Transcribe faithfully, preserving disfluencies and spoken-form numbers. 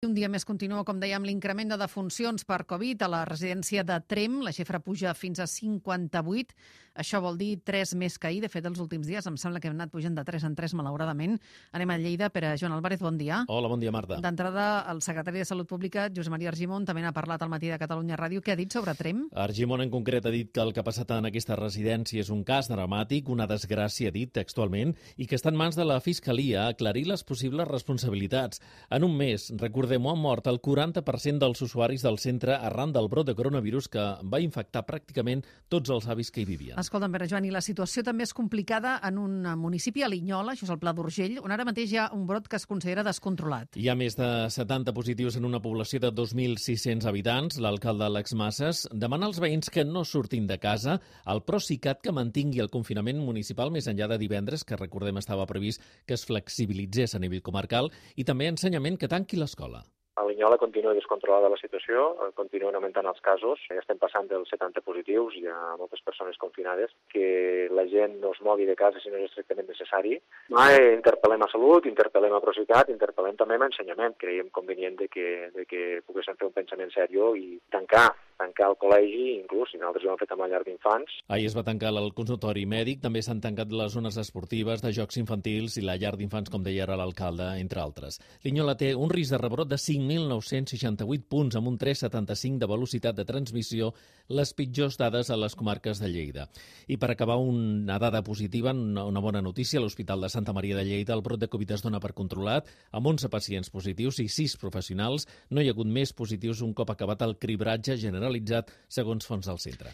Un dia més continua, com dèiem, l'increment de defuncions per Covid a la residència de Tremp. La xifra puja fins a cinquanta-vuit. Això vol dir tres més que ahir. De fet, els últims dies em sembla que hem anat pujant de tres en tres, malauradament. Anem a Lleida. Per a Joan Álvarez, bon dia. Hola, bon dia, Marta. D'entrada, el secretari de Salut Pública, Josep Maria Argimon, també n'ha parlat al matí de Catalunya Ràdio. Què ha dit sobre Tremp? Argimon, en concret, ha dit que el que ha passat en aquesta residència és un cas dramàtic, una desgràcia, ha dit textualment, i que està en mans de la Fiscalia aclarir les possibles responsabilitats. En un mes, recordem-ho, han mort el quaranta per cent dels usuaris del centre arran del brot de coronavirus que va infectar pràcticament tots els avis que hi vivien. Escolta'm, Pere Joan, i la situació també és complicada en un municipi, a Linyola, això és el Pla d'Urgell, on ara mateix hi ha un brot que es considera descontrolat. Hi ha més de setanta positius en una població de dos mil sis-cents habitants. L'alcalde Alex Massas demana als veïns que no surtin de casa. El Procicat que mantingui el confinament municipal més enllà de divendres, que recordem estava previst que es flexibilitzés a nivell comarcal, i també ensenyament que tanqui l'escola. A Linyola continua descontrolada la situació, continuen augmentant els casos, ja estem passant dels setanta positius, hi ha moltes persones confinades, que la gent no es mogui de casa si no és estrictament necessari. Mai interpel·lem a Salut, interpel·lem a Procicat, interpel·lem també a Ensenyament. Creiem convenient de que, de que poguéssim fer un pensament seriós i tancar tancar el col·legi, inclús, si nosaltres ho hem fet amb la llar d'infants. Ahir es va tancar el consultori mèdic, també s'han tancat les zones esportives, de jocs infantils i la llar d'infants, com deia ara l'alcalde, entre altres. Linyola té un risc de rebrot de cinc mil nou-cents seixanta-vuit punts, amb un tres coma setanta-cinc de velocitat de transmissió, les pitjors dades a les comarques de Lleida. I per acabar, una dada positiva, una bona notícia, a l'Hospital de Santa Maria de Lleida el brot de Covid es dona per controlat, amb onze pacients positius i sis professionals. No hi ha hagut més positius un cop acabat el cribratge general segons fons del centre.